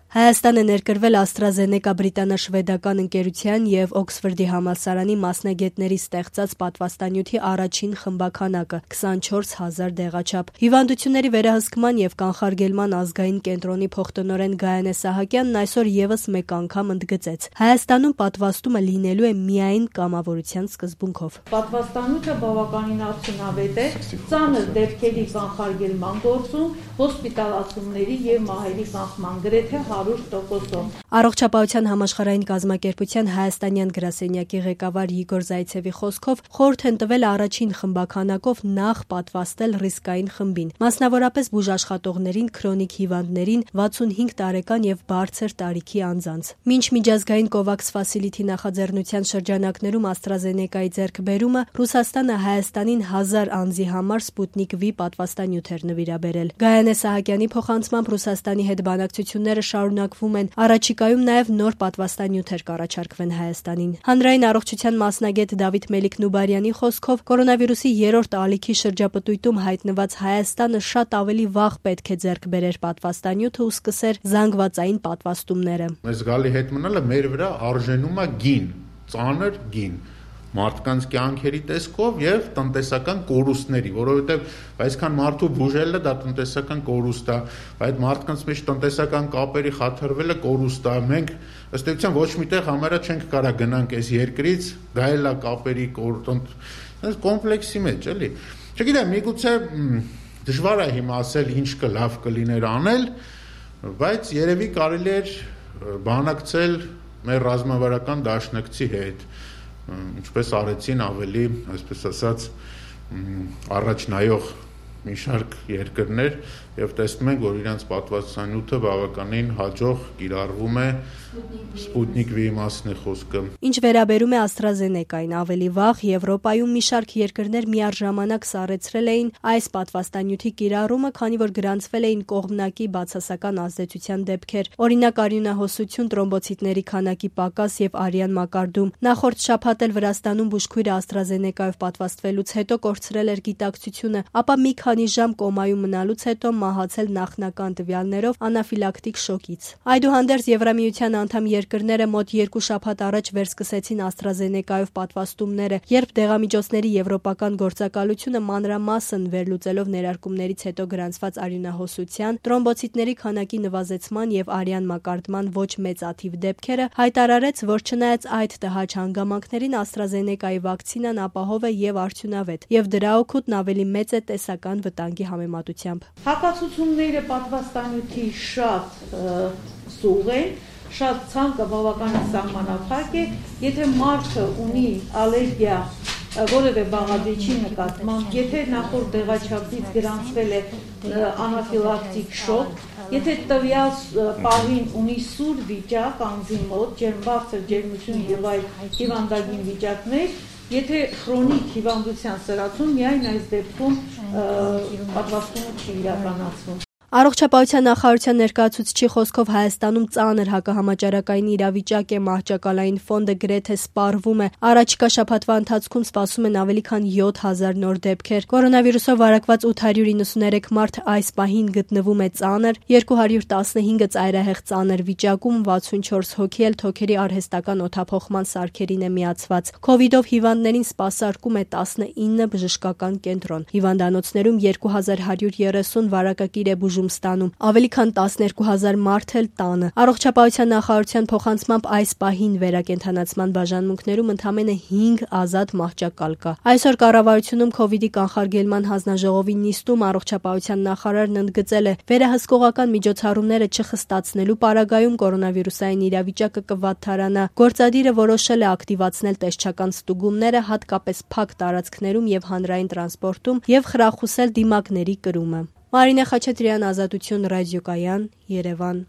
Հայաստան է ներկրվել AstraZeneca բրիտանա-շվեդական ընկերության և Օքսֆորդի համալսարանի մասնագետների ստեղծած պատվաստանյութի առաջին խմբաքանակը 24,000 դեղաչափ։ Հիվանդությունների վերահսկման և կանխարգելման ազգային կենտրոնի փոխտնօրեն Գայանե Սահակյանն այսօր ևս մեկ անգամ ընդգծեց. Հայաստանում պատվաստումը լինելու է միայն կամավորության սկզբունքով։ Պատվաստանյութը բավականին արդյունավետ է ծանր դեպքերի կանխարգելման գործում, հոսպիտալացումների և մահերի կանխման գրեթե 100%-ով։ Առողջապահության համաշխարհային կազմակերպության հայաստանյան գրասենյակի ղեկավար Իգոր Զայցևի խոսքով խորհուրդ են տվել առաջին խմբաքանակով նախ պատվաստել ռիսկային խմբին, մասնավորապես բուժաշխատողներին, քրոնիկ հիվանդներին, 65 տարեկան և բարձր տարիքի անձանց։ Մինչ միջազգային COVAX Facility նախաձեռնության շրջանակներում AstraZeneca-ի ձեռքբերումը Ռուսաստանը Հայաստանին 1000 անձի համար Sputnik V պատվաստանյութ էր նվիրաբերել։ Գայանե Սահակյանի փոխանցմամբ Ռուսաստանի հետ բանակցությունները շարունակվում են, առաջիկայում նաև նոր պատվաստանյութեր կառաջարկվեն Հայաստանին։ Հանրային առողջության մասնագետ Դավիթ Մելիք-Նուբարյանի խոսքով կորոնավիրուսի 3-րդ ալիքի շրջապտույտում հայտնված Հայաստանը շատ ավելի վաղ պետք է ձեռք բերեր պատվաստանյութը ու սկսեր զանգվածային պատվաստումները։ Մեզ գալի հետ մնալը մեր վրա արժենում է գին, ծանր գին մարդկանց կյանքերի տեսքով եւ տնտեսական կորուստների, որովհետեւ այսքան մարդու բուժելը դա տնտեսական կորուստ է, այդ մարդկանց մեջ տնտեսական կապերի խաթարվելը կորուստ է։ Մենք ըստ էության ոչ միտեղ համարյա չենք կարա գնանք այս երկրից, գայելա կապերի կոմպլեքսի մեջ, էլի։ Չգիտեմ, միգուցե դժվար է հիմա ասել ինչ լավ կլիներ անել, բայց երևի կարելի էր բանակցել մեր ռազմավարական դաշնակցի հետ, ինչպես արեցին ավելի, այսպես ասած, առաջնայող մի շարք երկրներ եւ տեսնում ենք, որ իրենց պատվաստանյութը բավականին հաջող կիրառվում է Sputnik V-ի մասն է խոսքը։ Ինչ վերաբերում է AstraZeneca-ին, ավելի վաղ Եվրոպայում մի շարք երկրներ միառժամանակ սառեցրել էին այս պատվաստանյութի կիրառումը, քանի որ գրանցվել էին կողմնակի բացասական ազդեցության դեպքեր, օրինակ արյունահոսություն, տրոմբոցիտների քանակի պակաս եւ արյան մակարդում։ Նախորդ շաբաթ էլ Վրաստանում բուժքույրը AstraZeneca-ով պատվաստվելուց հետո կորցրել էր գիտակցությունը, ապա մի քանի ժամ կոմայում մնալուց հետո մահացել նախնական տվյալներով անաֆիլակտիկ շոկից։ Այդուհանդերձ Եվրամիության անդամ երկրները մոտ 2 շաբաթ առաջ վերսկսեցին AstraZeneca-ով պատվաստումները, երբ դեղամիջոցների եվրոպական գործակալությունը մանրամասն վերլուծելով ներարկումներից հետո գրանցված արյունահոսության, տրոմբոցիտների քանակի նվազեցման եւ արյան մակարդման ոչ մեծաթիվ դեպքերը, հայտարարեց, որ չնայած այդ տհաճ հանգամանքներին AstraZeneca-ի վակցինան ապահով է եւ արդյունավետ, եւ դրա օգուտն ավելի մեծ է տեսական վտանգի համեմատությամբ։ Հակացությունները պատվաստանյութի շատ սուղ են, շատ ցանկը բավականին սահմանափակ է, եթե մարդը ունի ալերգիա որևէ բաղադրիչի նկատմամբ, եթե նախորդ դեղաչափից գրանցվել է անաֆիլակտիկ շոկ, եթե տվյալ պահին ունի սուր վիճակ անձի մոտ, բարձր ջերմություն եւ այլ հիվանդագին վիճակներ, եթե քրոնիկ հիվանդության սրացում, միայն այս դեպքում պատվաստումը չի իրականացվում։ Առողջապահության նախարարության ներկայացուցչի խոսքով Հայաստանում ծանր հակահամաճարակային իրավիճակ է, մահճակալային ֆոնդը գրեթե սպառվում է։ Առաջիկա շաբաթվա ընթացքում սպասում են ավելի քան 7000 նոր դեպքեր։ Կորոնավիրուսով վարակված 893 մարդ այս պահին գտնվում է ծանր, 215-ը ծայրահեղ ծանր վիճակում, 64 հոգի էլ թոքերի արհեստական օդափոխման սարքերին է միացված։ Քովիդով հիվանդներին սպասարկում է 19 բժշկական կենտրոն։ Հիվանդանոցներում 2130 վարակակիր է ստանում, ավելի քան 12000 մարդ էլ տանը։ Առողջապահության նախարարության փոխանցմամբ այս պահին վերակենդանացման բաժանմունքներում ընդամենը 5 ազատ մահճակալ կա։ Այսօր կառավարությունում COVID-ի կանխարգելման հանձնաժողովի նիստում առողջապահության նախարարն ընդգծել է, վերահսկողական միջոցառումները չխստացնելու պարագայում կորոնավիրուսային իրավիճակը կվատթարանա։ Գործադիրը որոշել է ակտիվացնել տեսչական ստուգումները, հատկապես փակ տարածքներում եւ հանրային տրանսպորտում եւ խրախուսել դիմակների կրումը։ Մարինե Խաչատրյան, Ազատություն ռադիոկայան, Երևան։